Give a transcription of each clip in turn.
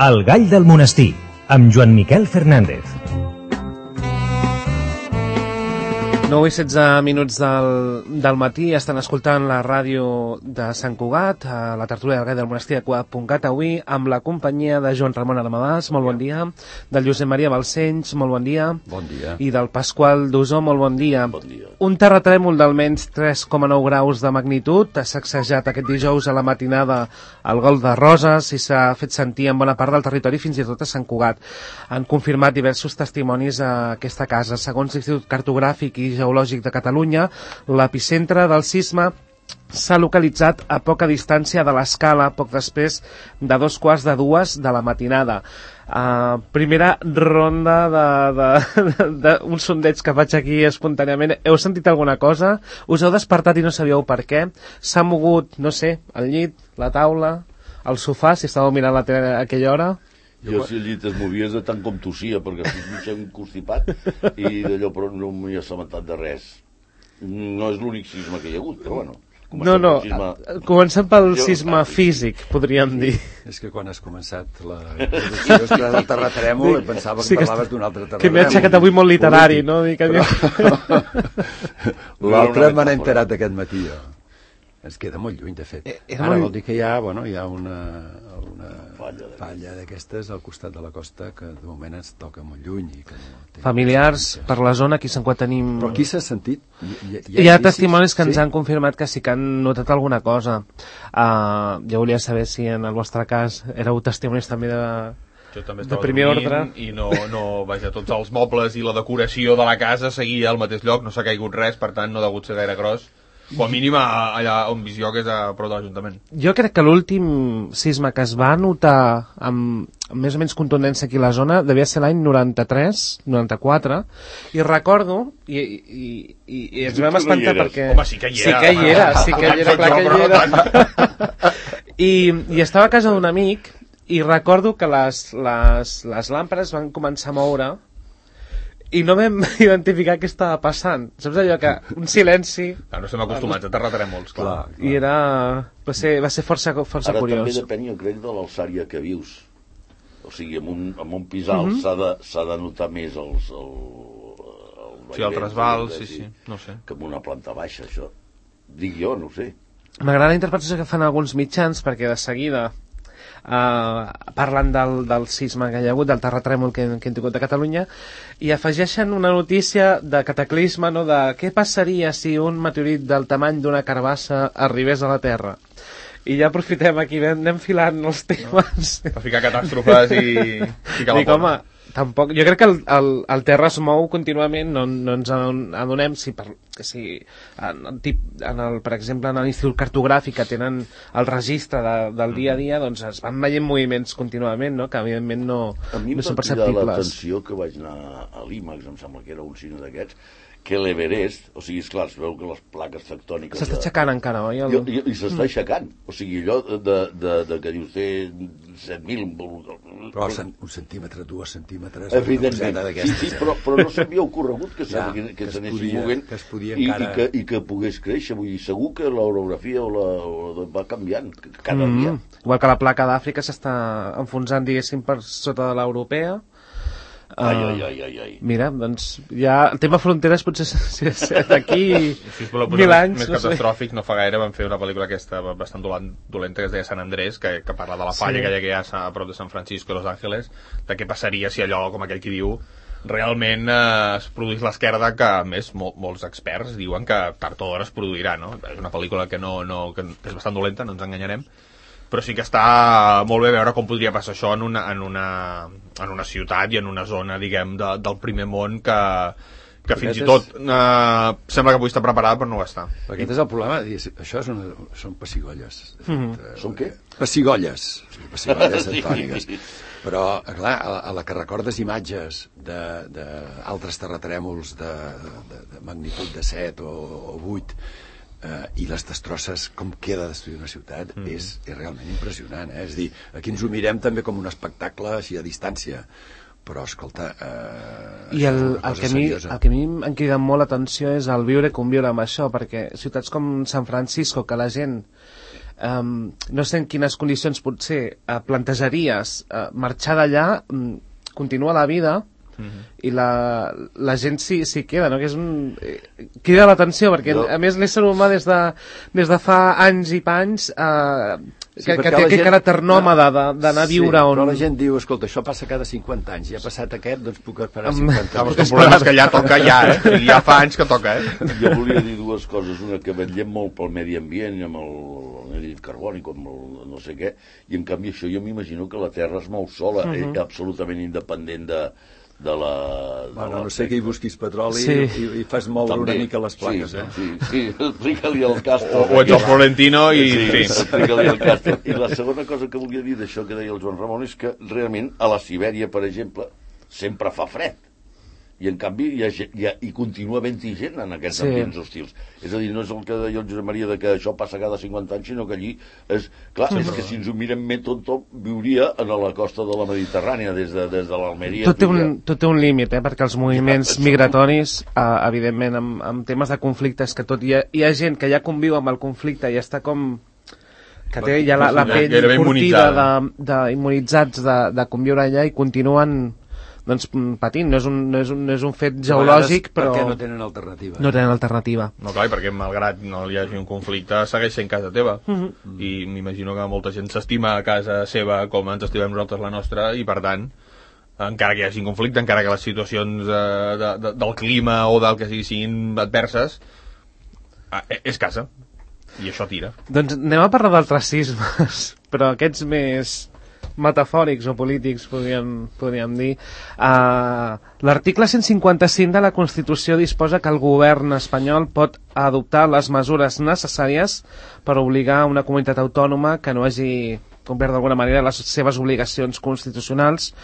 El gall del monestir, amb Joan Miquel Fernández. 9 i 16 minuts del matí, estan escoltant la ràdio de Sant Cugat, a la tertúlia del gall del monestir de Cugat.cat, avui amb la companyia de Joan Ramon Armadàs, molt bon dia, del Josep Maria Balcells, molt bon dia, i del Pasqual Dusó, molt bon dia. Un terratrèmol d'almenys 3,9 graus de magnitud ha sacsejat aquest dijous a la matinada al Golf de Roses i s'ha fet sentir en bona part del territori, fins i tot a Sant Cugat. Han confirmat diversos testimonis a aquesta casa. Segons l'Institut Cartogràfic i Geològic de Catalunya, l'epicentre del sisme s'ha localitzat a poca distància de l'escala, poc després de 2:15 de la matinada. Primera ronda d'un sondeig que faig aquí espontàniament. Heu sentit alguna cosa? Us heu despertat i no sabíeu per què? S'ha mogut, no sé, el llit, la taula, el sofà, si estàveu mirant la tele a aquella hora? Jo, si el llit es movies de tant com tossia, perquè estic mig constipat i d'allò, però no m'hi he assabentat de res. No és l'únic sisme que hi ha hagut, però bueno. Comencem pel sisme físic, podríem dir. És que quan has començat la producció del terratrèmol em pensava que parlaves d'un altre terratrèmol. Que m'he aixecat avui molt literari, no? L'altre me n'he enterat aquest matí, jo. Ens queda molt lluny, de fet. Ara vol dir que hi ha una falla d'aquestes al costat de la costa que de moment ens toca molt lluny. Familiars per la zona, aquí se'n tenim... Però aquí s'ha sentit? Hi ha testimonis que ens han confirmat que sí que han notat alguna cosa. Jo volia saber si en el vostre cas éreu testimonis també de primer ordre. I no, vaja, tots els mobles i la decoració de la casa seguia al mateix lloc, no s'ha caigut res, per tant no ha degut ser gaire gros. O a mínim allà on visió, que és a prop de l'Ajuntament. Jo crec que l'últim sisme que es va notar amb més o menys contundència aquí a la zona devia ser l'any 93, 94, i recordo, i ens vam espantar perquè... Home, sí que hi era. Sí que hi era, clar que hi era. I estava a casa d'un amic, i recordo que les làmpades van començar a moure, i no vam identificar què estava passant. Saps allò que un silenci... No estem acostumats a terratrèmols, clar. I va ser força curiós. Ara també depèn, jo crec, de l'alçària que vius. O sigui, en un pis alt s'ha de notar més el trasbals, sí, no sé. Que en una planta baixa, això. Dic jo, no ho sé. M'agrada la interpretació que fan alguns mitjans, perquè de seguida parlen del sisme que hi ha hagut, del terratrèmol que hem tingut a Catalunya, i afegeixen una notícia de cataclisme, no? De què passaria si un meteorit del tamany d'una carbassa arribés a la Terra. I ja aprofitem aquí, anem filant els temes. Per ficar catàstrofes i ficar la porta. Tampoc, jo crec que el terra es mou contínuament, no ens adonem per exemple en l'Institut Cartogràfic, que tenen el registre del dia a dia, doncs es van veient moviments contínuament, no? Que evidentment no són perceptibles. A mi em va cridar l'atenció que vaig anar a l'IMAX, em sembla que era un cine d'aquests, que l'Everest, o sigui, esclar, es veu que les plaques tectòniques... S'està aixecant encara, oi? I s'està aixecant, o sigui, allò de que dius té 7.000... Però un centímetre, 2 centímetres... Evidentment, sí, però no s'havia ocorregut que s'anessin movent i que pogués créixer, vull dir, segur que l'orografia va canviant cada dia. Igual que la placa d'Àfrica s'està enfonsant, diguéssim, per sota de l'europea. Mira, doncs ja el tema fronteres potser d'aquí 1000 anys. Més catastròfic, no fa gaire van fer una pel·lícula aquesta bastant dolenta que es deia San Andrés, que parla de la falla que hi ha a prop de San Francisco i Los Ángeles, de què passaria si allò, com aquell qui diu, realment es produís l'esquerda, que a més molts experts diuen que tard o d'hora es produirà, no? És una pel·lícula que és bastant dolenta, no ens enganyarem, però sí que està molt bé veure com podria passar això en una ciutat i en una zona, diguem, del primer món que fins i tot sembla que avui està preparada però no ho està. Aquest és el problema, això són pessigolles. Són què? Pessigolles tectòniques. Però, clar, a la que recordes imatges d'altres terratrèmols de magnitud de 7 o 8, i les destrosses, com queda destruir una ciutat, és realment impressionant, És a dir, aquí ens ho mirem també com un espectacle així a distància, però escolta, i el que a mi em crida molt l'atenció és el viure i conviure amb això, perquè ciutats com San Francisco, que la gent no sé en quines condicions potser plantejaries marxar d'allà, continuar la vida, i la gent s'hi queda, no? Que és crida l'atenció, perquè a més l'ésser humà des de fa anys i panys que té aquest caràcter nòmada d'anar a viure on... Però la gent diu, escolta, això passa cada 50 anys, ja ha passat aquest, doncs puc esperar 50 anys. El problema és que ja toca ja fa anys que toca, Jo volia dir dues coses, una que vetllem molt pel medi ambient, amb el carbònic, amb el no sé què, i en canvi això jo m'imagino que la Terra es mou sola, absolutament independent de no sé que hi busquis petroli i fas moure una mica les plaques, Sí, explica-li al Castro. O ets el Florentino i... Sí, explica-li al Castro. I la segona cosa que volia dir d'això que deia el Joan Ramon és que realment a la Sibèria, per exemple, sempre fa fred. I en canvi hi continua havent-hi gent en aquests ambients hostils. És a dir, no és el que deia el Josep Maria de que això passa cada 50 anys, sinó que allí és... Clar, és que si ens ho mirem més, tot viuria a la costa de la Mediterrània, des de l'Almeria... Tot té un límit, perquè els moviments migratoris, evidentment, amb temes de conflictes, que tot hi ha gent que ja conviu amb el conflicte i està com... que té ja la pell curtida immunitzats de conviure allà i continuen... doncs patint, no és un fet geològic, però... Perquè no tenen alternativa. No tenen alternativa. No, clar, perquè malgrat no hi hagi un conflicte, segueix sent casa teva. I m'imagino que molta gent s'estima a casa seva com ens estimem nosaltres la nostra, i per tant, encara que hi hagi un conflicte, encara que les situacions del clima o del que siguin adverses, és casa. I això tira. Doncs anem a parlar d'altres sismes, però aquests més... metafòrics o polítics, podríem dir. L'article 155 de la Constitució disposa que el govern espanyol pot adoptar les mesures necessàries per obligar una comunitat autònoma que no hagi complert d'alguna manera les seves obligacions constitucionals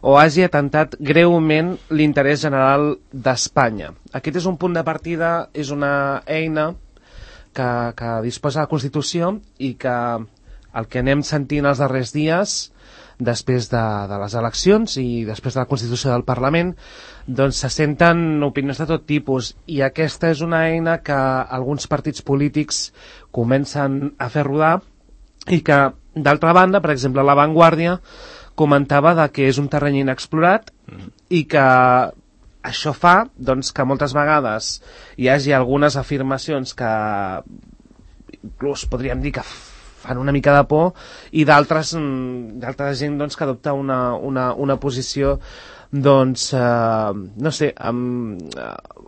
o hagi atentat greument l'interès general d'Espanya. Aquest és un punt de partida, és una eina que disposa la Constitució i que el que anem sentint els darrers dies, després de les eleccions i després de la Constitució del Parlament, doncs se senten opinions de tot tipus, i aquesta és una eina que alguns partits polítics comencen a fer rodar i que, d'altra banda, per exemple, La Vanguardia comentava que és un terreny inexplorat i que això fa doncs, que moltes vegades hi hagi algunes afirmacions que inclús podríem dir que fan una mica de por, i d'altra gent doncs, que adopta una posició doncs, no sé,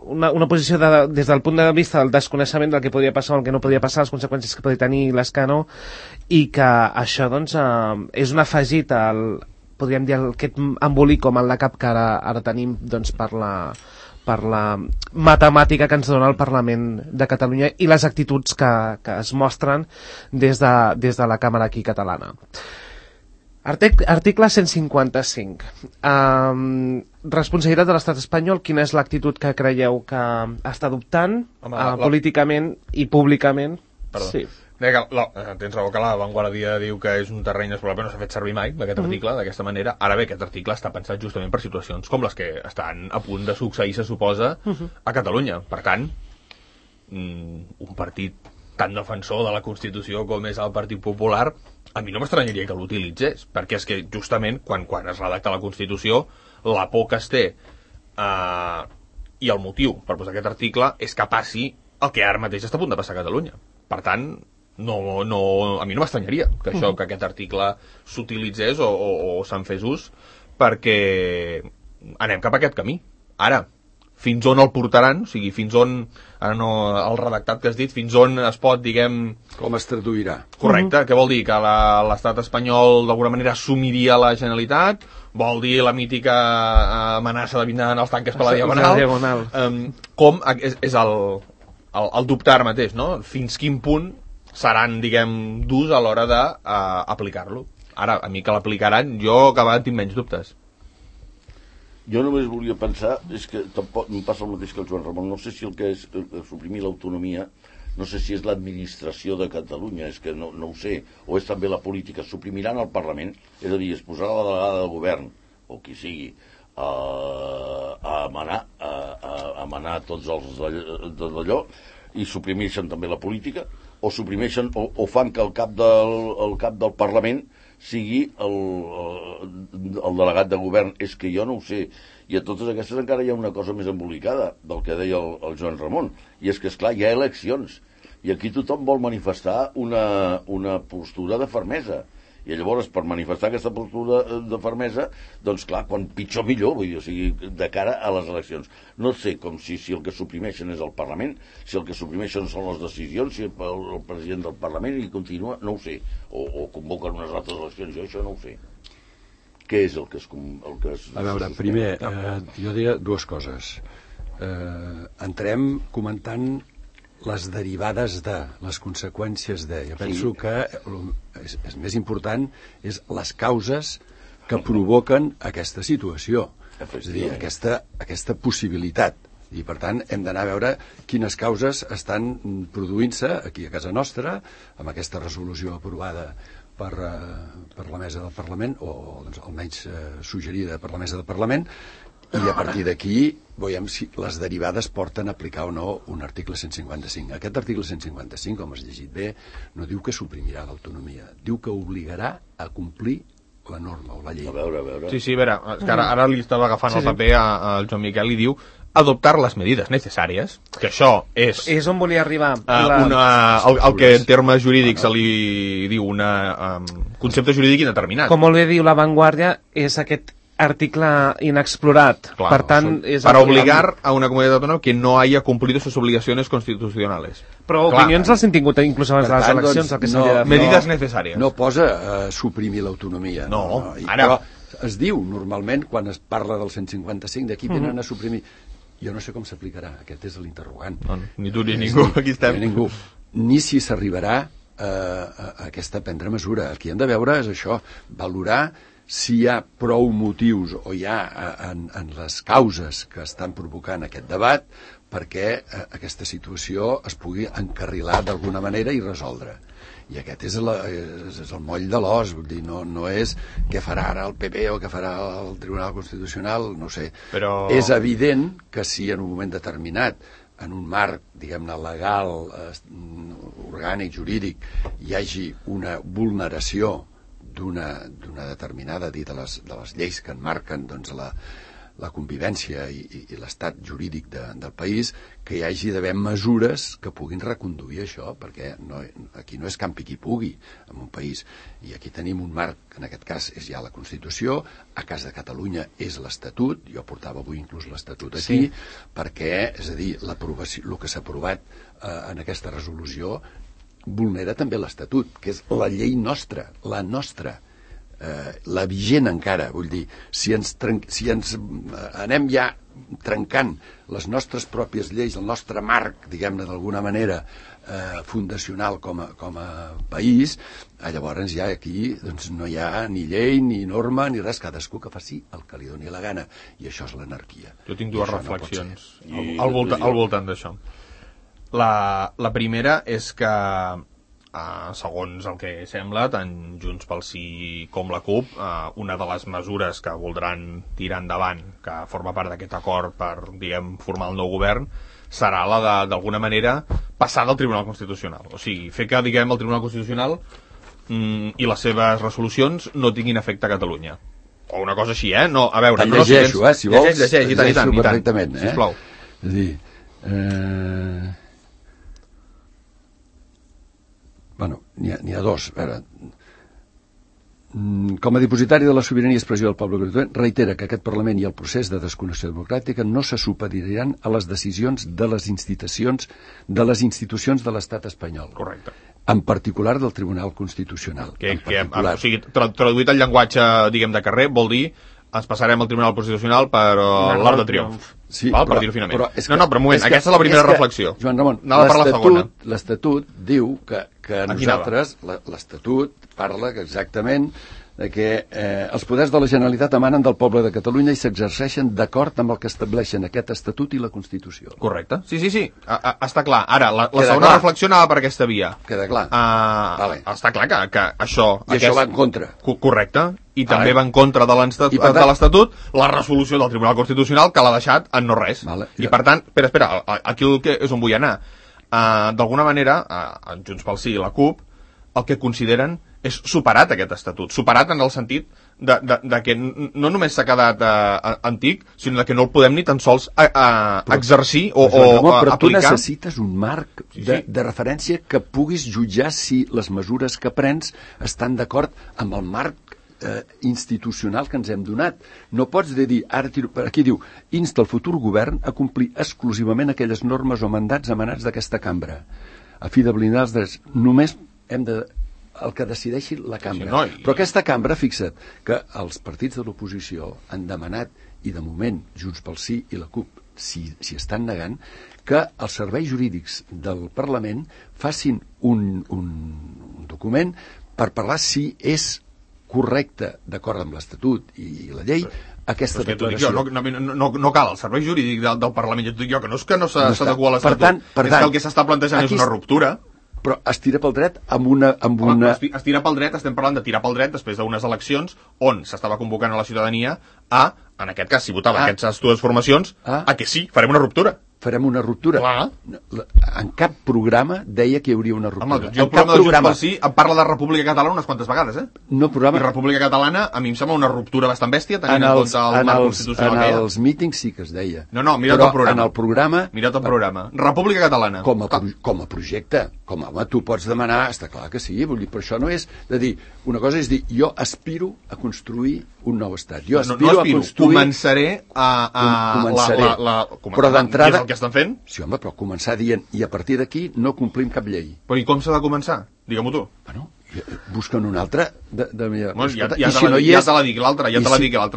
una posició des del punt de vista del desconeixement del que podria passar o el que no podria passar, les conseqüències que podria tenir l'escàndol, i que això doncs, és un afegit podríem dir aquest embolic com en la cap que ara tenim doncs, per la matemàtica que ens dona el Parlament de Catalunya i les actituds que es mostren des de la Càmera aquí catalana. Article 155. Responsabilitat de l'estat espanyol. Quina és l'actitud que creieu que està adoptant políticament i públicament? Perdó. Sí. Tens raó que La Vanguardia diu que és un terreny explorat, però no s'ha fet servir mai aquest article d'aquesta manera. Ara bé, aquest article està pensat justament per situacions com les que estan a punt de succeir, se suposa, a Catalunya. Per tant, un partit tan defensor de la Constitució com és el Partit Popular, a mi no m'estranyaria que l'utilitzés, perquè és que justament quan es redacta la Constitució, la por que es té i el motiu per posar aquest article és que passi el que ara mateix està a punt de passar a Catalunya. Per tant, a mi no m'estranyaria que aquest article s'utilitzés o se'n fes ús, perquè anem cap a aquest camí. Ara, fins on el portaran, o sigui, fins on, ara no el redactat que has dit, fins on es pot, diguem... Com es traduirà. Correcte, què vol dir? Que l'estat espanyol d'alguna manera assumiria la Generalitat? Vol dir la mítica amenaça de vindran els tanques per la Diagonal? Com és el dubtar mateix, no? Fins quin punt seran, diguem, durs a l'hora d'aplicar-lo. Ara, a mi que l'aplicaran, jo cada vegada tinc menys dubtes. Jo només volia pensar, és que tampoc em passa el mateix que el Joan Ramon, no sé si el que és suprimir l'autonomia, no sé si és l'administració de Catalunya, és que no ho sé, o és també la política. Suprimiran el Parlament, és a dir, es posarà la delegada del govern, o qui sigui, a manar tots els d'allò, i suprimeixen també la política, o suprimeixen o fan que el cap del Parlament sigui el delegat de govern. És que jo no ho sé. I a totes aquestes encara hi ha una cosa més embolicada del que deia el Joan Ramon, i és que, esclar, hi ha eleccions, i aquí tothom vol manifestar una postura de fermesa. I llavors, per manifestar aquesta postura de fermesa, doncs clar, quan pitjor millor, vull dir, o sigui, de cara a les eleccions. No sé com si el que suprimeixen és el Parlament, si el que suprimeixen són les decisions, si el president del Parlament i continua, no ho sé, o convoquen unes altres eleccions, jo això no ho sé. Què és el que es... A veure, primer, jo diria dues coses. Entrem comentant les derivades de, les conseqüències de. Jo penso que és més important és les causes que provoquen aquesta situació, és a dir, aquesta possibilitat. I per tant hem d'anar a veure quines causes estan produint-se aquí a casa nostra, amb aquesta resolució aprovada per la mesa del Parlament, o doncs, almenys suggerida per la mesa del Parlament, i a partir d'aquí veiem si les derivades porten a aplicar o no un article 155. Aquest article 155, com has llegit bé, no diu que suprimirà l'autonomia, diu que obligarà a complir la norma o la llei. A veure. Sí, a veure, és que ara li estava agafant el paper al Joan Miquel i diu adoptar les medides necessàries, que això és on volia arribar. El que en termes jurídics se li diu un concepte jurídic indeterminat. Com molt bé diu La Vanguardia, és aquest article inexplorat. Claro, per tant, és para obligar a una comunitat autònoma que no haya cumplido sus obligaciones constitucionales. Però opinions les han tingut inclús abans de les eleccions. Doncs, medidas necessàries. No posa suprimir l'autonomia. No. Però es diu normalment, quan es parla del 155, d'aquí venen a suprimir. Jo no sé com s'aplicarà, aquest és l'interrogant. No, ni tu ni ningú, aquí estem. Ningú. Ni si s'arribarà a aquesta prendre mesura. El que hem de veure és això, valorar si hi ha prou motius o hi ha en les causes que estan provocant aquest debat perquè aquesta situació es pugui encarrilar d'alguna manera i resoldre. I aquest és el moll de l'os, vull dir, no és què farà ara el PP o què farà el Tribunal Constitucional, no sé. Però... És evident que si en un moment determinat, en un marc, diguem-ne, legal, orgànic, jurídic, hi hagi una vulneració d'una determinada de les lleis que enmarquen doncs, la convivència i l'estat jurídic del país, que hi hagi d'haver mesures que puguin reconduir això, perquè aquí no és campi qui pugui en un país, i aquí tenim un marc, en aquest cas és ja la Constitució, a cas de Catalunya és l'Estatut, jo portava avui inclús l'Estatut aquí, perquè, és a dir, l'aprovació, el que s'ha aprovat en aquesta resolució vulnera també l'Estatut, que és la llei nostra, la nostra, la vigent encara, vull dir, si ens anem ja trencant les nostres pròpies lleis, el nostre marc, diguem-ne d'alguna manera, fundacional com a país, llavors ja aquí doncs, no hi ha ni llei, ni norma, ni res, cadascú que faci el que li doni la gana, i això és l'anarquia. Jo tinc dues reflexions al voltant d'això. La primera és que, segons el que sembla, tant Junts pel Sí com la CUP, una de les mesures que voldran tirar endavant, que forma part d'aquest acord per, diguem, formar el nou govern, serà la de, d'alguna manera, passar del Tribunal Constitucional. O sigui, fer que, diguem, el Tribunal Constitucional i les seves resolucions no tinguin efecte a Catalunya. O una cosa així, No, a veure... Te'n llegeixo, si vols. Llegeix, i tant, perfectament, sisplau. És a dir... Bueno, n'hi ha dos. A veure, com a dipositari de la sobirania i expressió del poble constituent, reitera que aquest Parlament i el procés de desconnexió democràtica no se supediran a les decisions de les institucions de l'estat espanyol. Correcte. En particular del Tribunal Constitucional. O sigui, traduït al llenguatge, diguem, de carrer, vol dir ens passarem al Tribunal Constitucional per l'Arc de Triomf. Sí, per dir-ho finament. Però un moment, aquesta és la primera reflexió. Joan Ramon, l'Estatut diu que nosaltres, l'Estatut parla exactament de que els poders de la Generalitat emanen del poble de Catalunya i s'exerceixen d'acord amb el que estableixen aquest Estatut i la Constitució. Correcte. Sí. Està clar. Ara, la segona reflexió anava per aquesta via. Queda clar. Està clar que això... I això va en contra. Correcte. I també va en contra de l'Estatut la resolució del Tribunal Constitucional que l'ha deixat en no res. Vale. I per tant, espera, aquí el que és on vull anar. d'alguna manera, en Junts pel Sí i la CUP, el que consideren és superat aquest estatut. Superat en el sentit de que no només s'ha quedat antic, sinó que no el podem ni tan sols exercir o però aplicar. Tu necessites un marc de referència que puguis jutjar si les mesures que prens estan d'acord amb el marc institucional que ens hem donat. No pots dir, ara aquí diu, insta el futur govern a complir exclusivament aquelles normes o mandats emanats d'aquesta cambra. A fi de blindar els drets, només hem de el que decideixi la cambra. Però aquesta cambra, fixa't, que els partits de l'oposició han demanat, i de moment Junts pel Sí i la CUP s'hi estan negant, que els serveis jurídics del Parlament facin un document per parlar si és correcte, d'acord amb l'Estatut i la llei, aquesta declaració. No cal, el servei jurídic del Parlament, jo et dic jo, que no és que no s'adequa a l'Estatut, és que el que s'està plantejant és una ruptura. Però es tira pel dret amb una... Es tira pel dret, estem parlant de tirar pel dret després d'unes eleccions on s'estava convocant a la ciutadania en aquest cas, si votaven aquestes dues formacions, que sí, farem una ruptura. Farem una ruptura. Clar. En cap programa deia que hi hauria una ruptura. Home, jo el programa de Junts pel Sí em parla de República Catalana unes quantes vegades, No, programa... I República Catalana a mi em sembla una ruptura bastant bèstia tenint en compte el marc constitucional que hi ha. En els mítings sí que es deia. No, mira't el programa. En el programa... Mira't el programa. República Catalana. Com a projecte. Home, tu pots demanar, està clar que sí, vull dir, però això no és de dir, una cosa és dir, jo aspiro a construir un nou estat. Jo aspiro a construir... Començaré però d'entrada... És el que estan fent? Sí, home, però començar dient, i a partir d'aquí no complim cap llei. Però i com s'ha de començar? Digue-m'ho tu. Bueno, busquen una altra ja te la dic l'altra,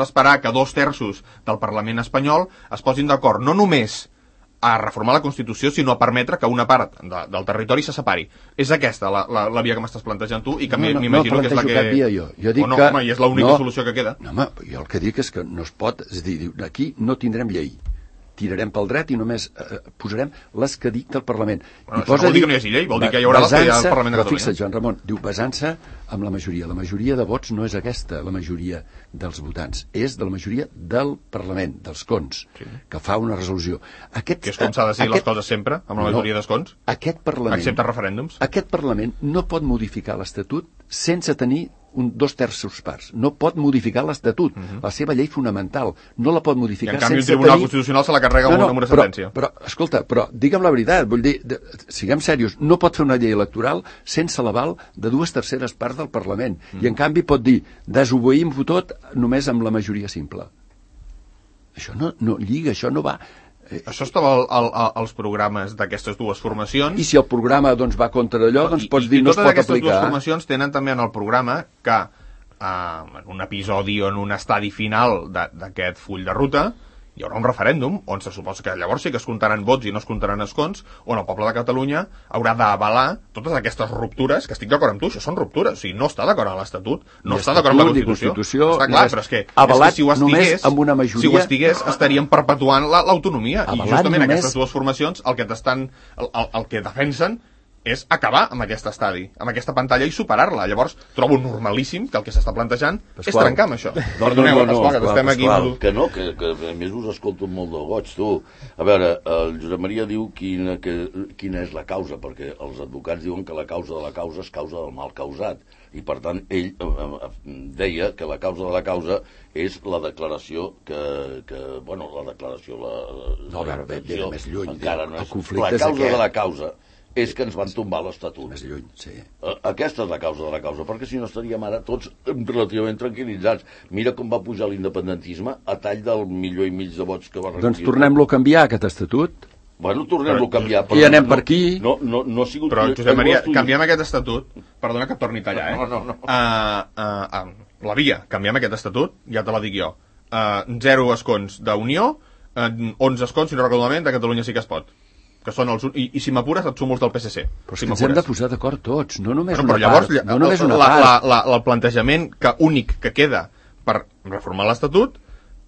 esperar que 2/3 del Parlament espanyol es posin d'acord no només a reformar la Constitució, sinó a permetre que una part del territori se separi. És aquesta la via que m'estàs plantejant tu i que m'imagino que és la que... No plantejo cap via jo. Jo dic que... Home, i és l'única solució que queda. No, home, jo el que dic és que no es pot... És a dir, aquí no tindrem llei. Tirarem pel dret i només posarem les que dicta el Parlament. Bueno, això no vol dir que no hi hagi llei, vol dir que hi haurà les que hi ha al Parlament de Catalunya. Fixa't, Joan Ramon, diu basant-se amb la majoria. La majoria de vots no és aquesta, la majoria dels votants. És de la majoria del Parlament, dels cons, que fa una resolució. Que és com s'ha de decidir les coses sempre, amb la majoria dels cons? Aquest Parlament... Excepte referèndums? Aquest Parlament no pot modificar l'Estatut sense tenir 2/3 parts. No pot modificar l'Estatut, la seva llei fonamental. No la pot modificar sense tenir... I en canvi el Tribunal Constitucional se la carrega amb una sentència. Però, escolta, digue'm la veritat, vull dir, siguem serios, no pot fer una llei electoral sense l'aval de 2/3 parts del Parlament. I en canvi pot dir, desobeïm-ho tot només amb la majoria simple. Això no lliga, això no va... Això estava als programes d'aquestes dues formacions. I si el programa va contra allò, doncs pots dir no es pot aplicar. Totes aquestes dues formacions tenen també en el programa que en un episodi o en un estadi final d'aquest full de ruta hi haurà un referèndum on se suposa que llavors sí que es comptaran vots i no es comptaran escons, on el poble de Catalunya haurà d'avalar totes aquestes ruptures, que estic d'acord amb tu, això són ruptures, o sigui, no està d'acord amb l'Estatut, no està d'acord amb la Constitució, està clar, però és que si ho estigués estaríem perpetuant l'autonomia, i justament aquestes dues formacions el que defensen és acabar amb aquest estadi, amb aquesta pantalla i superar-la. Llavors, trobo normalíssim que el que s'està plantejant és trencar amb això. Perdoneu, Pasqual, que estem aquí... Que a més us escolto molt de goig, tu. A veure, el Josep Maria diu quina és la causa, perquè els advocats diuen que la causa de la causa és causa del mal causat. I, per tant, ell deia que la causa de la causa és la declaració la declaració... No, a veure, ve més lluny. Encara no és. La causa de la causa és que ens van tombar l'Estatut. Més lluny, sí. Aquesta és la causa de la causa, perquè si no estaríem ara tots relativament tranquil·litzats. Mira com va pujar l'independentisme a tall del 1,5 milió de vots que va recollir. Doncs tornem-lo a canviar, aquest Estatut. Bueno, tornem-lo a canviar. I anem per aquí. No ha sigut... Però, Josep Maria, canviem aquest Estatut, perdona que et torni a tallar, No. La via, canviem aquest Estatut, ja te la dic jo. 0 escons d'Unió, 11 escons, si no recordo malament, de Catalunya sí que es pot. Que són els... I si m'apures et sumo els del PSC. Però ens hem de posar d'acord tots, no només una part. No només una part. El plantejament únic que queda per reformar l'Estatut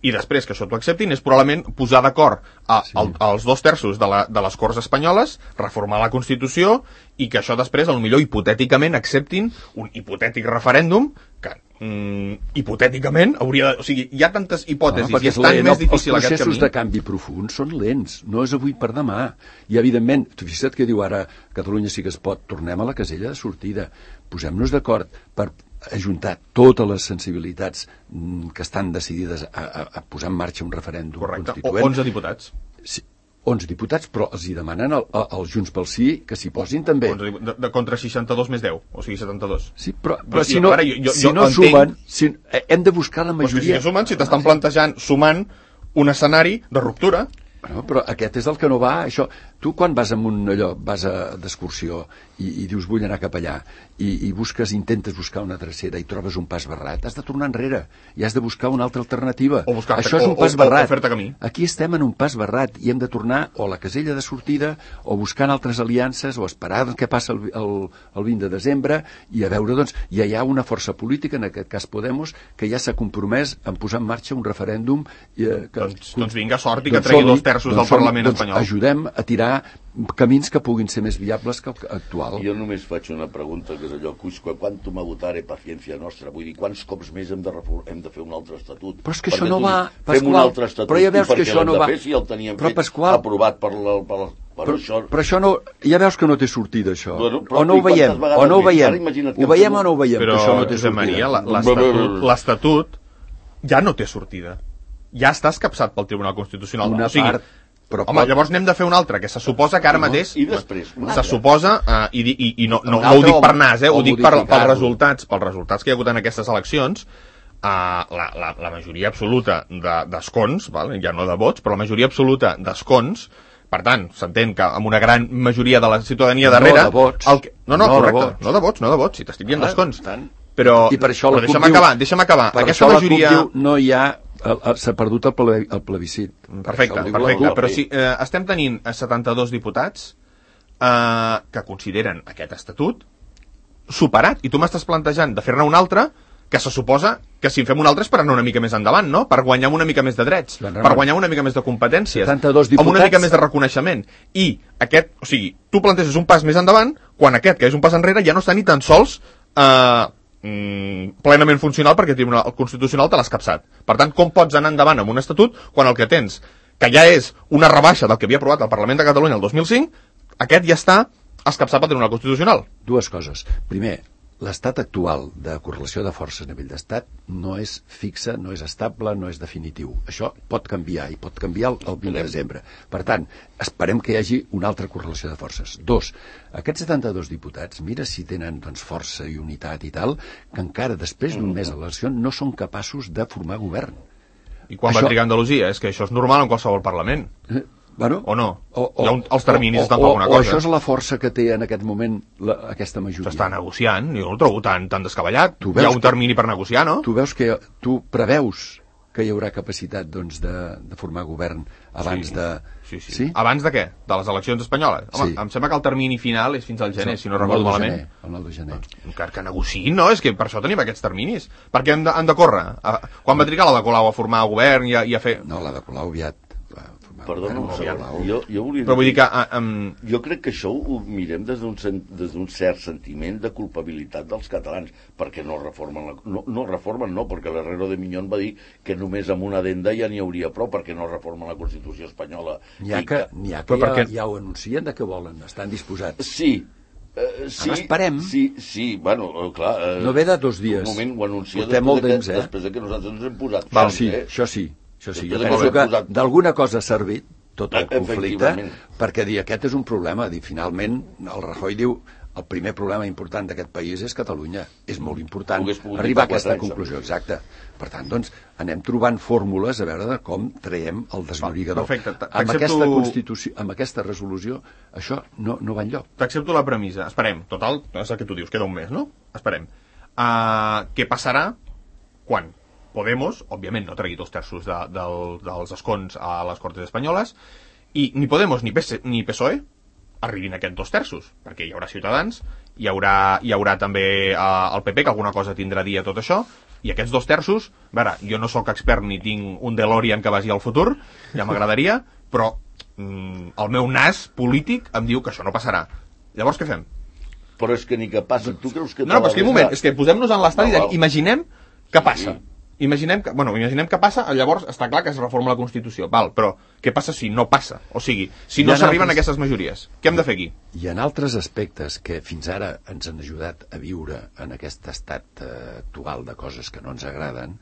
i després que això t'ho acceptin és probablement posar d'acord als 2/3 de les Corts espanyoles, reformar la Constitució i que això després, potser hipotèticament, acceptin un hipotètic referèndum que hipotèticament, hauria de... O sigui, hi ha tantes hipòtesis i és tan lent, més difícil els aquest processos camí. de canvi profund són lents, no és avui per demà. I, evidentment, tu fixa't que diu ara Catalunya sí que es pot, tornem a la casella de sortida, posem-nos d'acord per ajuntar totes les sensibilitats que estan decidides a posar en marxa un referèndum constituent. 11 diputats. Sí, 11 diputats, però els hi demanen als Junts pel Sí que s'hi posin també. De contra 62 més 10, o sigui 72. Sí, però si no, jo si no sumen, hem de buscar la majoria. Però si sumen, si t'estan plantejant, sumant un escenari de ruptura. Bueno, però aquest és el que no va, això. Tu quan vas vas d'excursió i dius vull anar cap allà i intentes buscar una drecera i trobes un pas barrat, has de tornar enrere i has de buscar una altra alternativa. Això és un pas barrat. Aquí estem en un pas barrat i hem de tornar o a la casella de sortida o buscant altres aliances o esperar què passa el 20 de desembre i a veure, doncs, ja hi ha una força política, en aquest cas Podemos, que ja s'ha compromès en posar en marxa un referèndum doncs vinga, sort i que tregui 2 terços del Parlament espanyol. Ajudem a tirar camins que puguin ser més viables que l'actual. Jo només faig una pregunta, que és allò, quantum votare paciència nostra, vull dir, quants cops més hem de fer un altre estatut? Però és que això no va, Pasqual. Fem un altre estatut, però ja veus que això no va. Si el teníem però, Pasqual, aprovat per però això no, ja veus que no té sortida, això. Bueno, o no ho veiem, o no ho veiem. Ho veiem o no ho veiem, però, que això no té sortida. Maria, l'Estatut ja no té sortida. Ja està escapçat pel Tribunal Constitucional. Una part... Però llavors n'hem de fer un altre, que se suposa que ara mateix... I després... Se suposa, i no ho dic per nas, ho dic pels resultats que hi ha hagut en aquestes eleccions, la majoria absoluta d'escons, ja no de vots, però la majoria absoluta d'escons, per tant, s'entén que amb una gran majoria de la ciutadania darrere... No de vots. Correcte, no de vots, si t'estic dient d'escons. Però deixa'm acabar. Per això la CUP diu no hi ha... s'ha perdut el plebiscit. Perfecte, però si estem tenint 72 diputats que consideren aquest estatut superat, i tu m'estàs plantejant de fer-ne un altre, que se suposa que si en fem un altre és per anar una mica més endavant, no? Per guanyar una mica més de drets, per guanyar una mica més de competències, amb una mica més de reconeixement. I aquest, o sigui, tu planteges un pas més endavant, quan aquest, que és un pas enrere, ja no està ni tan sols plenament funcional perquè el Tribunal Constitucional te l'ha escapçat. Per tant, com pots anar endavant amb un estatut quan el que tens, que ja és una rebaixa del que havia aprovat el Parlament de Catalunya el 2005, aquest ja està escapçat pel Tribunal Constitucional? Dues coses. Primer, l'estat actual de correlació de forces a nivell d'estat no és fixe, no és estable, no és definitiu. Això pot canviar, i pot canviar el 20 de desembre. Per tant, esperem que hi hagi una altra correlació de forces. 2, aquests 72 diputats, mira si tenen força i unitat i tal, que encara després d'un mes d'elecció no són capaços de formar govern. I quan va trigar Andalusia? És que això és normal en qualsevol Parlament. Bueno, o no? Els terminis estan per una cosa. O això és la força que té en aquest moment aquesta majoria. S'està negociant, jo no el trobo tan descabellat. Hi ha un termini per negociar, no? Tu preveus que hi haurà capacitat de formar govern abans de... Sí. Abans de què? De les eleccions espanyoles? Home, em sembla que el termini final és fins al gener, si no recordo malament. El 9 de gener. Encara que negociïn, no? És que per això tenim aquests terminis. Per què han de córrer? Quan va trigar la de Colau a formar govern i a fer... No, la de Colau aviat. Perdona, jo volia dir... Però vull dir que... Jo crec que això ho mirem des d'un cert sentiment de culpabilitat dels catalans, perquè no reformen, perquè l'Herrero de Miñón va dir que només amb una addenda ja n'hi hauria prou, perquè no reformen la Constitució espanyola. N'hi ha que ja ho anuncien de què volen, estan disposats. Sí. Ara esperem. Sí, bueno, clar... No ve de 2 dies. Un moment ho anuncia després que nosaltres ens hem posat... Això sí. Jo penso que d'alguna cosa ha servit tot el conflicte perquè dir aquest és un problema. Finalment, el Rajoy diu el primer problema important d'aquest país és Catalunya. És molt important arribar a aquesta conclusió. Exacte. Per tant, doncs, anem trobant fórmules a veure com traiem el desllorigador. Amb aquesta Constitució, amb aquesta resolució, això no va enlloc. T'accepto la premissa. Esperem. Total, és el que tu dius, queda un mes, no? Esperem. Què passarà quan Podemos, òbviament, no tregui 2 terços dels escons a les Cortes Espanyoles, i ni Podemos ni PSOE arribin a aquests 2 terços, perquè hi haurà Ciutadans, hi haurà també el PP, que alguna cosa tindrà a dir a tot això, i aquests 2 terços, a veure, jo no sóc expert ni tinc un DeLorean que vagi al futur, ja m'agradaria, però el meu nas polític em diu que això no passarà. Llavors què fem? Però és que ni que passa, tu creus que... No, però és que un moment, és que posem-nos en l'estadi, imaginem Què passa? Imaginem que passa, llavors està clar que es reforma la Constitució, val, però què passa si no passa? O sigui, si no s'arriben a aquestes majories, què hem de fer aquí? Hi ha altres aspectes que fins ara ens han ajudat a viure en aquest estat actual de coses que no ens agraden,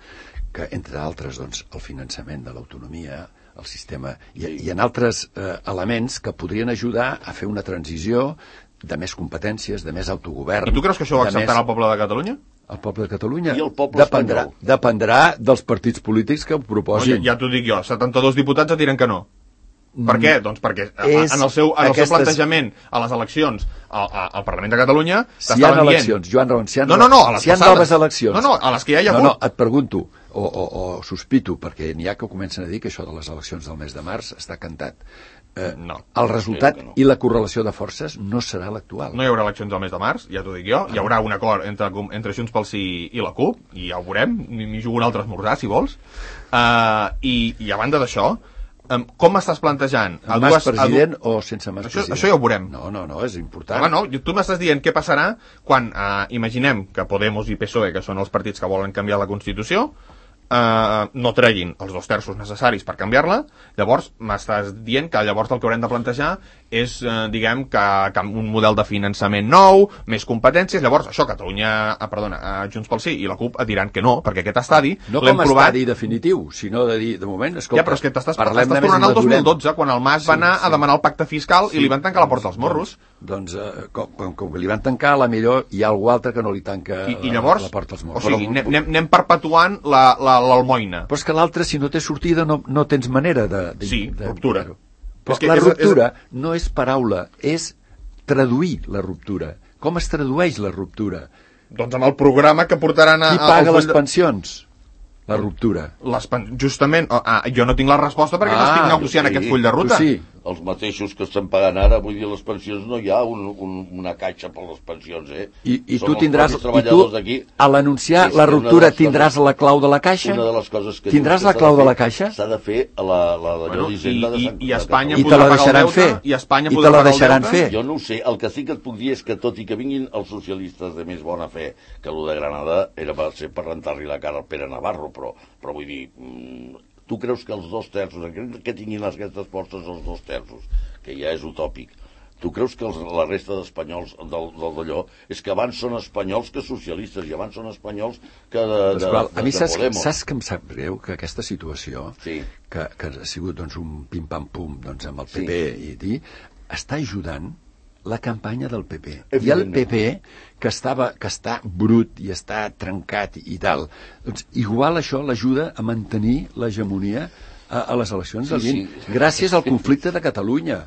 que entre altres, doncs, el finançament de l'autonomia, el sistema, hi ha altres elements que podrien ajudar a fer una transició de més competències, de més autogovern. I tu creus que això ho acceptarà el poble de Catalunya? El poble de Catalunya I el poble dependrà dels partits polítics que ho proposin. Ja t'ho dic jo, 72 diputats et diran que no. Per què? Doncs perquè en el seu plantejament a les eleccions al Parlament de Catalunya si hi ha eleccions, Joan Ramon, si hi ha noves eleccions. No, a les que ja hi ha hagut. No, et pregunto, o sospito, perquè n'hi ha que comencen a dir que això de les eleccions del mes de març està cantat. No. El resultat i la correlació de forces no serà l'actual. No hi haurà eleccions al mes de març, ja t'ho dic jo. Hi haurà un acord entre Junts pel Sí i la CUP, i ja ho veurem, m'hi jugo un altre esmorzar, si vols. I a banda d'això, com m'estàs plantejant? Amb Mas president o sense Mas president? Això ja ho veurem. No, és important. Home, no, tu m'estàs dient què passarà quan imaginem que Podemos i PSOE, que són els partits que volen canviar la Constitució, no treguin els 2 terços necessaris per canviar-la, llavors m'estàs dient que llavors el que haurem de plantejar és, diguem, que un model de finançament nou, més competències. Llavors, això, Junts pel Sí i la CUP et diran que no, perquè aquest estadi no com a estadi definitiu, sinó de dir, de moment, escolta, ja, però és que t'estàs tornant al 2012, quan el Mas va anar a demanar el pacte fiscal i li van tancar la porta als morros. Doncs, com que li van tancar, a la millor hi ha algú altre que no li tanca llavors, la porta als morros. O sigui, anem perpetuant l'almoina. Però és que l'altre, si no té sortida, no tens manera de ruptura. Però la ruptura no és paraula, és traduir la ruptura. Com es tradueix la ruptura? Doncs amb el programa que portaran a... Qui paga les pensions? La ruptura. Justament, jo no tinc la resposta perquè no estic negociant aquest full de ruta. Sí. Els mateixos que estan pagant ara, vull dir, les pensions, no hi ha una caixa per les pensions, I tu tindràs, a l'anunciar la ruptura, tindràs la clau de la caixa? Una de les coses que tindràs la clau de la caixa? S'ha de fer d'allò d'Hisenda de Sant I Espanya i te la deixaran fer? I te la deixaran fer? Jo no ho sé, el que sí que et puc dir és que tot i que vinguin els socialistes de més bona fe, que allò de Granada va ser per rentar-li la cara al Pere Navarro, però vull dir... Tu creus que els 2 terços, que tinguin aquestes forces els 2 terços, que ja és utòpic, tu creus que la resta d'espanyols d'allò és que abans són espanyols que socialistes i abans són espanyols que de a mi Podemos? Saps que em sap greu que aquesta situació, que ha sigut doncs, un pim-pam-pum doncs, amb el PP i està ajudant la campanya del PP. I el PP, que està brut i està trencat i tal, doncs igual això l'ajuda a mantenir l'hegemonia a les eleccions del 20, gràcies al conflicte de Catalunya.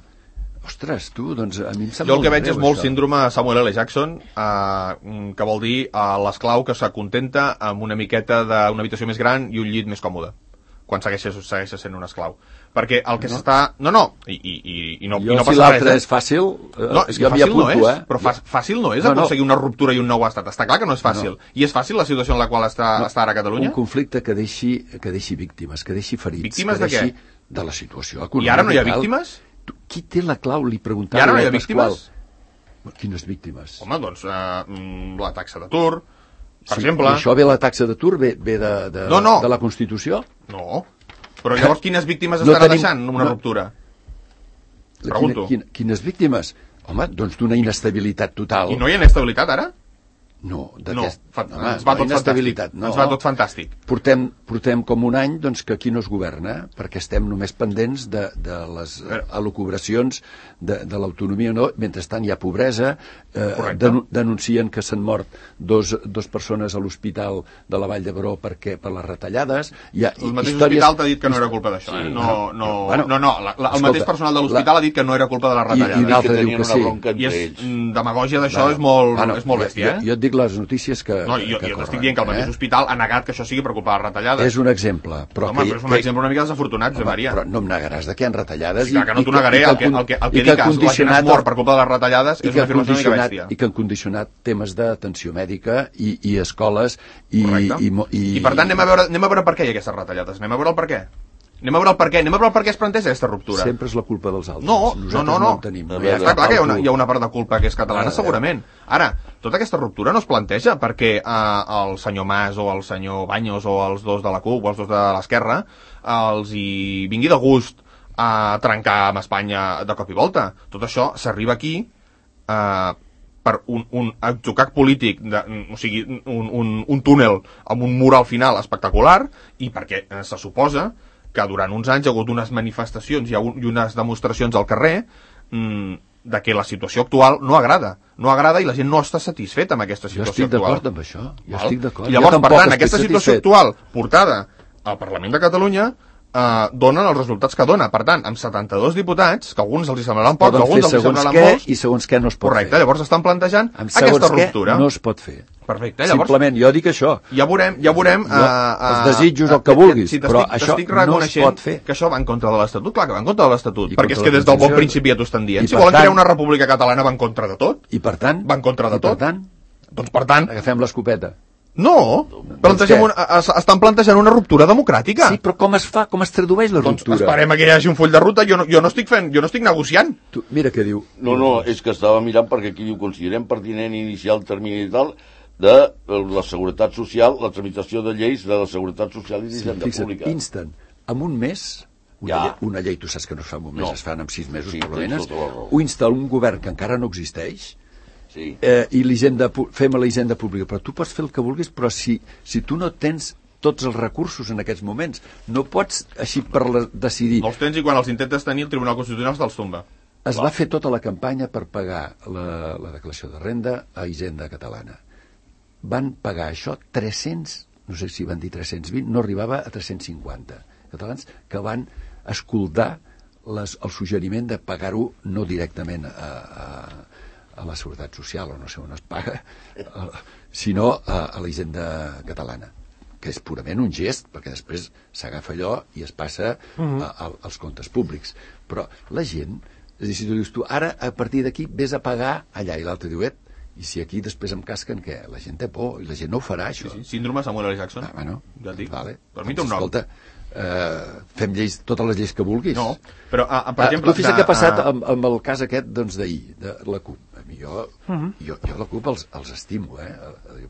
Ostres, tu, doncs a mi em sap jo el que molt veig greu, és molt això. síndrome Samuel L. Jackson, que vol dir l'esclau que s'acontenta amb una miqueta d'una habitació més gran i un llit més còmode, quan segueix sent un esclau. Perquè el que s'està... No, i no jo, passa si l'altre res. És fàcil, no, és que jo m'hi fàcil apunto, no és, però fàcil no és aconseguir una ruptura i un nou estat. Està clar que no és fàcil. I és fàcil la situació en la qual està ara Catalunya? Un conflicte que deixi víctimes, que deixi ferits. Víctimes de què? De la situació econòmica. I ara no hi ha víctimes? Qui té la clau? Li preguntava. I ara no hi ha víctimes? Quines víctimes? Home, doncs la taxa d'atur, per exemple. Això ve la taxa d'atur, ve de la Constitució? No. Però llavors quines víctimes estarà deixant una ruptura? Pregunto. Quines víctimes? Home, doncs d'una inestabilitat total. I no hi ha inestabilitat ara? No, ens va tot fantàstic. Portem com un any doncs, que aquí no es governa, perquè estem només pendents de les elucubracions de l'autonomia, no? Mentrestant hi ha pobresa, denuncien que s'han mort dos persones a l'hospital de la Vall d'Hebron per les retallades. El mateix hospital t'ha dit que no era culpa d'això. El mateix personal de l'hospital ha dit que no era culpa de les retallades. I l'altre diu que sí. I és demagògia d'això, és molt bèstia. Jo et dic les notícies que... No, jo t'estic dient que el mateix hospital ha negat que això sigui per culpa de les retallades. És un exemple. Però és un exemple una mica desafortunat, Josep Maria. Però no em negaràs de que hi ha retallades. Sí, que no t'ho negaré. El que dic que la gent es mor per culpa de les retallades és una afirmació una mica bèstia. I que han condicionat temes d'atenció mèdica i escoles i per tant anem a veure per què hi ha aquestes retallades. Anem a veure el per què. Anem a veure el per què. Anem a veure el per què es planteja aquesta ruptura. Sempre és la culpa dels altres. No. No en tenim. Està clar que hi ha una part de culpa que és catalana, segurament. Ara, tota aquesta ruptura no es planteja perquè el senyor Mas o el senyor Baños o els dos de la CUP o els dos de l'esquerra els hi vingui de gust a trencar amb Espanya de cop i volta. Tot això s'arriba aquí per un atzucac polític, o sigui, un túnel amb un mur al final espectacular, i perquè se suposa que durant uns anys hi ha hagut unes manifestacions i unes demostracions al carrer de que la situació actual no agrada i la gent no està satisfeta amb aquesta situació actual. Jo estic d'acord amb això. Estic d'acord. I llavors, per tant, aquesta situació actual portada al Parlament de Catalunya donen els resultats que dona. Per tant, amb 72 diputats, que alguns els hi semblaran pocs, alguns els hi semblaran molts, i segons què no es pot fer. Correcte, llavors estan plantejant aquesta ruptura. No es pot fer. Perfecte, llavors... Simplement, jo dic això. Ja veurem... Els desitjos el que vulguis, però això no es pot fer. Que això va en contra de l'Estatut, clar que va en contra de l'Estatut, perquè és que des del bon principi ja t'ho estan dient. Si volen crear una república catalana va en contra de tot. I per tant... Va en contra de tot. Doncs per tant... Agafem l'escopeta. No, estan plantejant una ruptura democràtica. Sí, però com es fa? Com es tradueix la ruptura? Doncs esperem que hi hagi un full de ruta. Jo no estic negociant. Mira què diu. No, és que estava mirant perquè aquí diu considerem pertinent iniciar el termini tal de la seguretat social, la tramitació de lleis de la seguretat social i d'hisenda pública. Instant, en un mes, una llei, tu saps que no es fa en un mes, es fan en 6 mesos, per almenys, ho insta un govern que encara no existeix, i fem a la hisenda pública, però tu pots fer el que vulguis, però si tu no tens tots els recursos en aquests moments, no pots així decidir. Els tens i quan els intentes tenir el Tribunal Constitucional te'ls tomba. Es va fer tota la campanya per pagar la declaració de renda a Hisenda Catalana. Van pagar això 300, no sé si van dir 320, no arribava a 350 catalans que van escoltar el suggeriment de pagar-ho no directament a la Seguretat Social, o no sé on es paga, sinó a la Hisenda Catalana, que és purament un gest, perquè després s'agafa allò i es passa als comptes públics. Però la gent, és a dir, si tu dius ara, a partir d'aquí, vés a pagar allà, i l'altre diu, i si aquí després em casquen, què? La gent té por, i la gent no ho farà, això. Sí. Síndrome Samuel L. Jackson. Bueno, ja et dic. Vale. Per mi té un nom. Escolta, fem lleis, totes les lleis que vulguis. No, però, per exemple... Tu fixa't què ha passat amb el cas aquest d'ahir, de la CUP. Jo la CUP els estimo,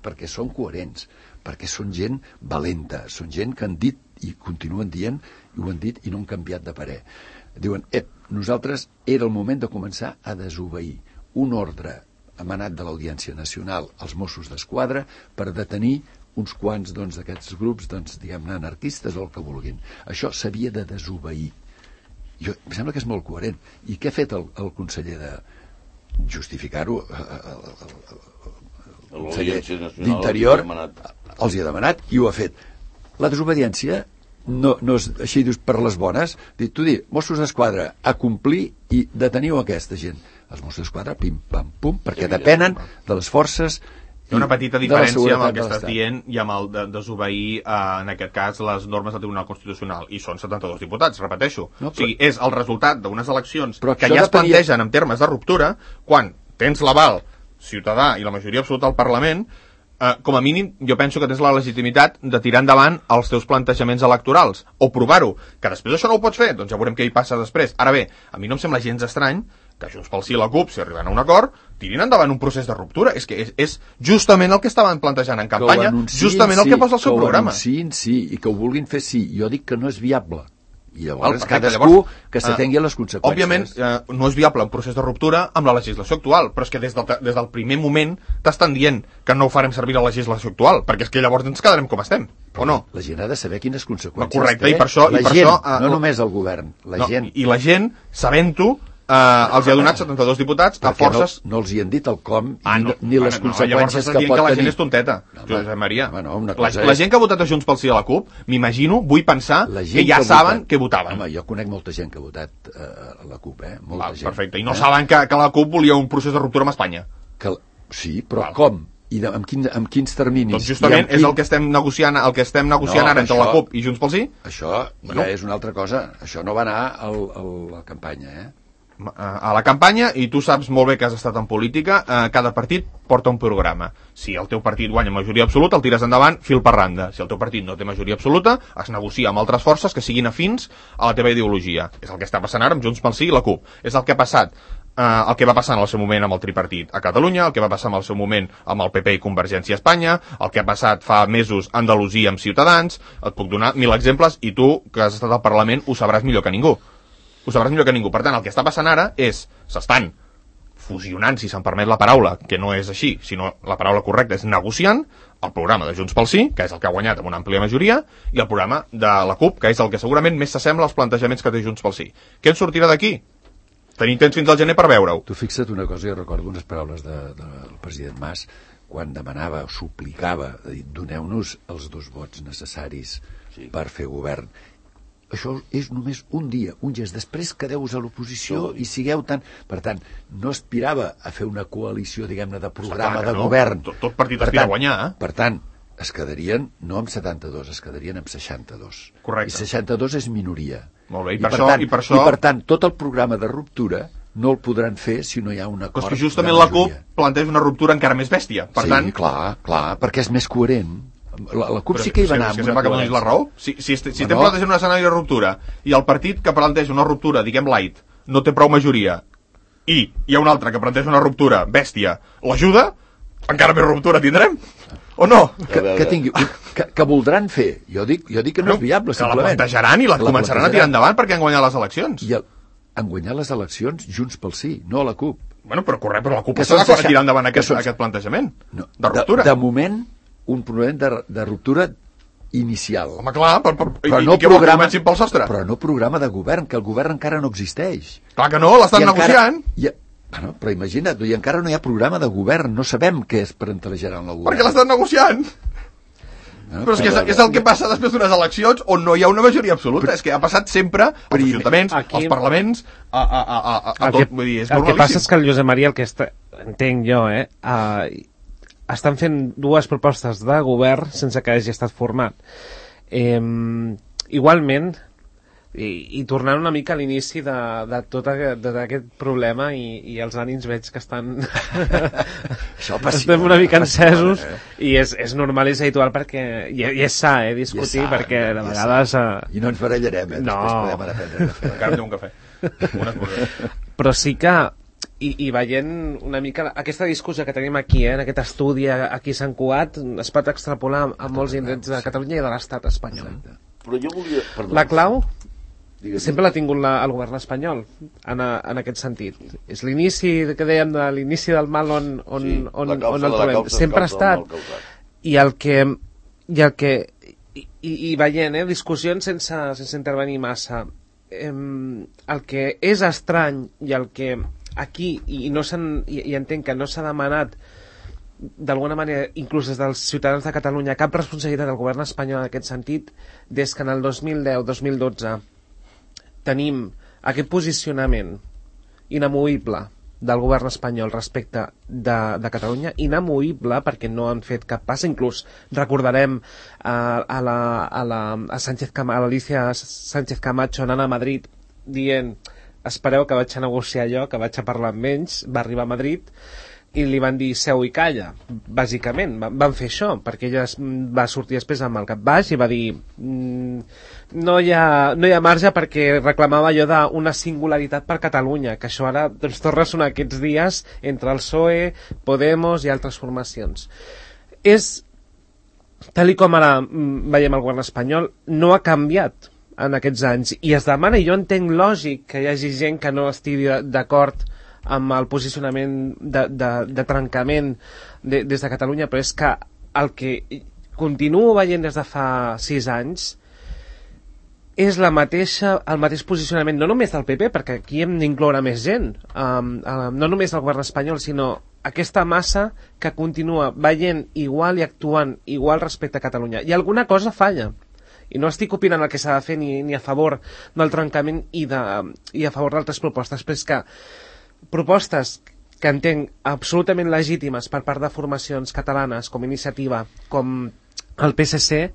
perquè són coherents, perquè són gent valenta, són gent que han dit i continuen dient, i ho han dit i no han canviat de parer. Diuen, nosaltres era el moment de començar a desobeir un ordre emanat de l'Audiència Nacional als Mossos d'Esquadra per detenir uns quants d'aquests grups, diguem-ne, anarquistes o el que vulguin. Això s'havia de desobeir. Em sembla que és molt coherent. I què ha fet el conseller de justificar-ho? El conseller d'Interior els hi ha demanat i ho ha fet. La desobediència no és així, dius, per les bones. Tu dius, Mossos d'Esquadra, a complir i deteniu aquesta gent. Els Mossos d'Esquadra, pim, pam, pum, perquè depenen de les forces. Hi ha una petita diferència amb el que estàs dient i amb el de desobeir, en aquest cas, les normes del Tribunal Constitucional. I són 72 diputats, repeteixo. O sigui, és el resultat d'unes eleccions que ja es plantegen en termes de ruptura, quan tens l'aval ciutadà i la majoria absoluta al Parlament, com a mínim, jo penso que tens la legitimitat de tirar endavant els teus plantejaments electorals, o provar-ho. Que després això no ho pots fer, doncs ja veurem què hi passa després. Ara bé, a mi no em sembla gens estrany que Junts pel Sí i la CUP, si arriben a un acord, tirin endavant un procés de ruptura. És que és justament el que estaven plantejant en campanya, justament el que posa al seu programa. Sí, i que ho vulguin fer sí. Jo dic que no és viable. I llavors cadascú que s'atengui a les conseqüències. Òbviament, no és viable un procés de ruptura amb la legislació actual, però és que des del primer moment t'estan dient que no ho farem servir la legislació actual, perquè és que llavors ens quedarem com estem, o no? La gent ha de saber quines conseqüències correcte, té. I per això, no només el govern, la gent. I la gent, sabent-ho, els hi ha donat 72 diputats a forces... No els hi han dit el com ni les conseqüències que pot tenir. Que la gent és tonteta, Josep Maria. La gent que ha votat a Junts pel Sí i a la CUP, m'imagino, vull pensar que ja saben què votaven. Home, jo conec molta gent que ha votat a la CUP, molta gent. Perfecte, i no saben que la CUP volia un procés de ruptura amb Espanya. Sí, però com? I amb quins terminis? Doncs justament és el que estem negociant ara entre la CUP i Junts pel Sí. Això ja és una altra cosa. Això no va anar a la campanya, a la campanya i tu saps molt bé que has estat en política, cada partit porta un programa. Si el teu partit guanya majoria absoluta, el tires endavant fil per randa. Si el teu partit no té majoria absoluta, es negocia amb altres forces que siguin afins a la teva ideologia. És el que està passant ara amb Junts pel Sí i la CUP. És el que ha passat, el que va passar en el seu moment amb el tripartit a Catalunya, el que va passar en el seu moment amb el PP i Convergència a Espanya, el que ha passat fa mesos a Andalusia amb Ciutadans. Et puc donar 1000 exemples i tu, que has estat al Parlament, ho sabràs millor que ningú. Ho sabràs millor que ningú. Per tant, el que està passant ara és, s'estan fusionant, si se'n permet la paraula, que no és així, sinó la paraula correcta és negociant, el programa de Junts pel Sí, que és el que ha guanyat amb una àmplia majoria, i el programa de la CUP, que és el que segurament més s'assembla als plantejaments que té Junts pel Sí. Què en sortirà d'aquí? Tenim temps fins al gener per veure-ho. Tu fixa't una cosa, jo recordo unes paraules del president Mas quan demanava, suplicava, doneu-nos els 2 vots necessaris per fer govern. Això és només un dia, un gest. Després quedeu-vos a l'oposició i sigueu tan... Per tant, no aspirava a fer una coalició, diguem-ne, de programa de govern. Tot partit aspira a guanyar. Per tant, es quedarien no amb 72, es quedarien amb 62. Correcte. I 62 és minoria. Molt bé, I per tant, tot el programa de ruptura no el podran fer si no hi ha un acord. Però és que justament la CUP planteja una ruptura encara més bèstia. Per tant... clar, perquè és més coherent. La CUP sí que hi va anar amb una coherència. La raó. Si estem plantejant un escenari de ruptura i el partit que planteja una ruptura, diguem light, no té prou majoria, i hi ha un altre que planteja una ruptura bèstia, l'ajuda, encara més ruptura tindrem? O no? Que voldran fer. Jo dic que no és viable, simplement. Que la plantejaran i la començaran a tirar endavant perquè han guanyat les eleccions. I han guanyat les eleccions Junts pel Sí, no la CUP. Bueno, però la CUP està d'acord a tirar endavant aquest plantejament de ruptura. De moment, un problema de ruptura inicial. Home, clar, però no programa, pel sostre. Però no programa de govern, que el govern encara no existeix. Clar que no, l'estan negociant. Bueno, però imagina't, i encara no hi ha programa de govern, no sabem què es plantejaran el govern. Perquè l'estan negociant. Però és el que passa després d'unes eleccions on no hi ha una majoria absoluta. És que ha passat sempre als ajuntaments, als parlaments, a tot. Vull dir, és el que passa és que el Josep Maria, el que entenc jo, estan fent 2 propostes de govern sense que hagi estat format. Igualment, i tornant una mica a l'inici de tot aquest problema i els ànims veig que estan estem una mica encesos i és normal i és habitual perquè i és sa, discutir perquè de vegades... I no ens barallarem, després podem anar a prendre un cafè. Encara un cafè. Però sí que i veient una mica aquesta discussió que tenim aquí, en aquest estudi aquí a Sant Cugat, es pot extrapolar a molts indrets de Catalunya i de l'estat espanyol. Però jo volia... La clau sempre l'ha tingut el govern espanyol en aquest sentit. És l'inici que dèiem de l'inici del mal on el trobem. Sempre ha estat. I veient discussions sense intervenir massa, el que és estrany i el que aquí i entenc que no s'ha demanat d'alguna manera, inclús des dels ciutadans de Catalunya, cap responsabilitat del govern espanyol en aquest sentit, des que en el 2010-2012 tenim aquest posicionament inamovible del govern espanyol respecte de Catalunya, inamovible perquè no han fet cap pas. Inclús recordarem a l'Alicia Sánchez Camacho anant a Madrid dient espereu que vaig a negociar jo, que vaig a parlar amb ells. Va arribar a Madrid i li van dir seu i calla, bàsicament van fer això, perquè ella va sortir després amb el cap baix i va dir no hi ha marge, perquè reclamava allò d'una singularitat per Catalunya, que això ara doncs, torna a sonar aquests dies entre el PSOE, Podemos i altres formacions. Tal com ara veiem el govern espanyol, no ha canviat en aquests anys, i es demana, i jo entenc lògic que hi hagi gent que no estigui d'acord amb el posicionament de trencament des de Catalunya, però és que el que continuo veient des de fa 6 anys és el mateix posicionament, no només del PP, perquè aquí hem d'incloure més gent, no només del govern espanyol, sinó aquesta massa que continua veient igual i actuant igual respecte a Catalunya. I alguna cosa falla. I no estic opinant el que s'ha de fer ni a favor del trencament i a favor d'altres propostes, però és que propostes que entenc absolutament legítimes per part de formacions catalanes com Iniciativa, com el PSC,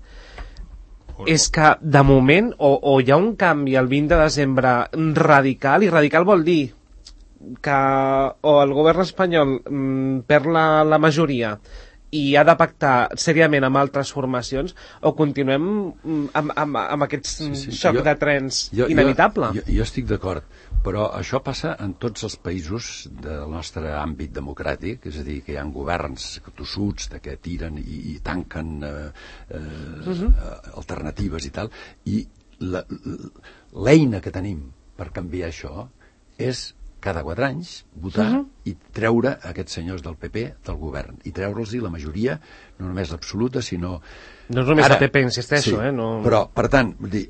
és que de moment o hi ha un canvi el 20 de desembre radical, i radical vol dir que o el govern espanyol perd la majoria i ha de pactar seriament amb altres formacions, o continuem amb aquest xoc de trens inevitable? Jo estic d'acord, però això passa en tots els països del nostre àmbit democràtic, és a dir, que hi ha governs tossuts que tiren i tanquen alternatives i tal, i l'eina que tenim per canviar això és cada 4 anys votar i treure aquests senyors del PP del govern, i treure'ls la majoria, no només l'absoluta, sinó... No és només el PP, insisteixo, sí, no... Però, per tant, vull dir,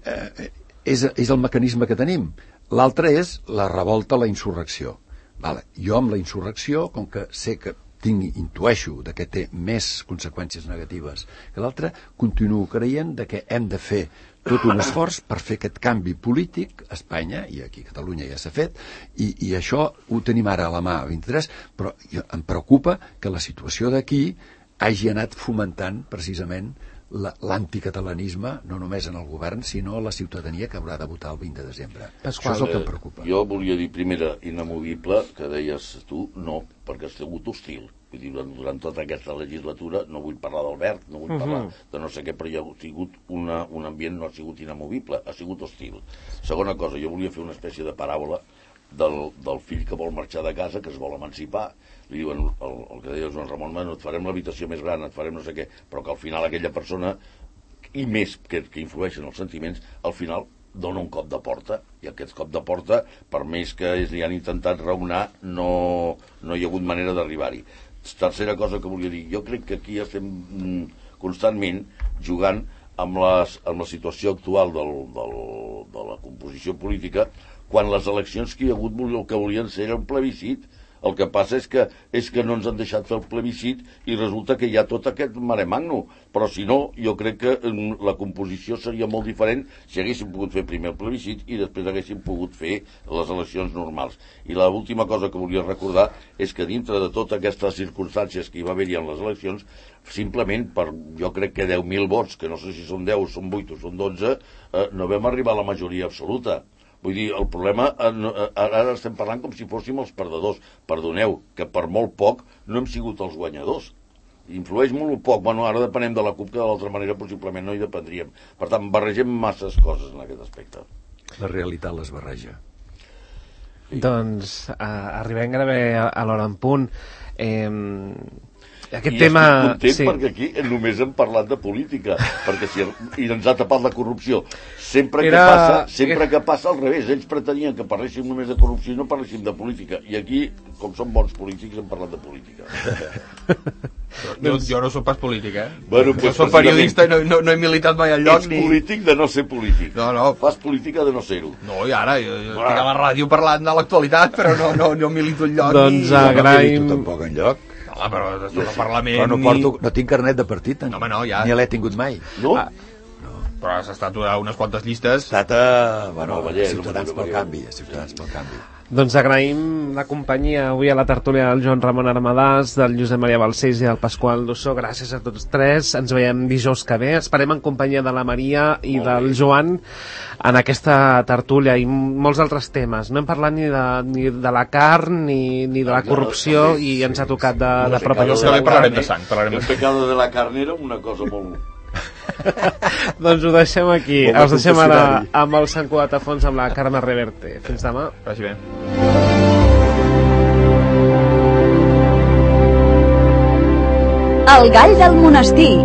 és el mecanisme que tenim. L'altre és la revolta, la insurrecció. Vale. Jo amb la insurrecció, com que sé que intueixo que té més conseqüències negatives que l'altre, continuo creient que hem de fer tot un esforç per fer aquest canvi polític a Espanya, i aquí a Catalunya ja s'ha fet, i això ho tenim ara a la mà a 23, però em preocupa que la situació d'aquí hagi anat fomentant precisament l'anticatalanisme, no només en el govern, sinó a la ciutadania que haurà de votar el 20 de desembre. Pasqual, això és el que em preocupa. Jo volia dir, primera, inamovible, que deies tu, no, perquè has sigut hostil. Vull dir, durant tota aquesta legislatura, no vull parlar d'Albert, no vull parlar de no sé què, però hi ha sigut un ambient, no ha sigut inamovible, ha sigut hostil. Segona cosa, jo volia fer una espècie de paràbola del fill que vol marxar de casa, que es vol emancipar. Li diuen, el que deia Joan Ramon, et farem l'habitació més gran, et farem no sé què, però que al final aquella persona, i més que influeixen els sentiments, al final dona un cop de porta, i aquest cop de porta, per més que li han intentat raonar, no hi ha hagut manera d'arribar-hi. Tercera cosa que volia dir, jo crec que aquí estem constantment jugant amb la situació actual de la composició política, quan les eleccions que hi ha hagut el que volien ser era un plebiscit. El que passa és que no ens han deixat fer el plebiscit i resulta que hi ha tot aquest mare magno. Però si no, jo crec que la composició seria molt diferent si haguéssim pogut fer primer el plebiscit i després haguéssim pogut fer les eleccions normals. I l'última cosa que volia recordar és que dintre de totes aquestes circumstàncies que hi va haver-hi en les eleccions, simplement per, jo crec que 10.000 vots, que no sé si són 10, són 8 o són 12, no vam arribar a la majoria absoluta. Vull dir, el problema, ara estem parlant com si fóssim els perdedors. Perdoneu, que per molt poc no hem sigut els guanyadors. Influeix molt poc. Bueno, ara depenem de la CUP, que de l'altra manera possiblement no hi dependríem. Per tant, barregem masses coses en aquest aspecte. La realitat les barreja. Sí. Doncs arribem gairebé a l'hora en punt. Aquest tema... estic content perquè aquí només hem parlat de política, perquè i ens ha tapat la corrupció. Sempre que passa al revés, ells pretenien que parléssim només de corrupció i no parléssim de política, i aquí, com som bons polítics, hem parlat de política. Jo no soc pas polític, Bueno, jo soc periodista i no he militat mai enlloc. Ets polític de no ser polític. No. Fas política de no ser-ho. No, i ara, jo estic a la ràdio parlant de l'actualitat, però no milito enlloc. Doncs agraïm... No milito tampoc enlloc. No, però tot el Parlament... Però no tinc carnet de partit, no, ja. Ni l'he tingut mai. No? Però has estat a unes quantes llistes. Ha estat a Ciutadans pel Canvi. Doncs agraïm la companyia avui a la tertúlia del Joan Ramon Armadàs, del Josep Maria Balcells i del Pasqual Dussó. Gràcies a tots tres. Ens veiem dijous que ve. Esperem en companyia de la Maria i del Joan en aquesta tertúlia i molts altres temes. No hem parlat ni de la carn ni de la corrupció, i ens ha tocat de prop allò. Parlarem de sang. El pecado de la carn era una cosa molt... Doncs ho deixem aquí. Els deixem ara amb el Sant Cugat a fons amb la Carme Reverte. Fins demà. Vagi bé. El gall del monestir.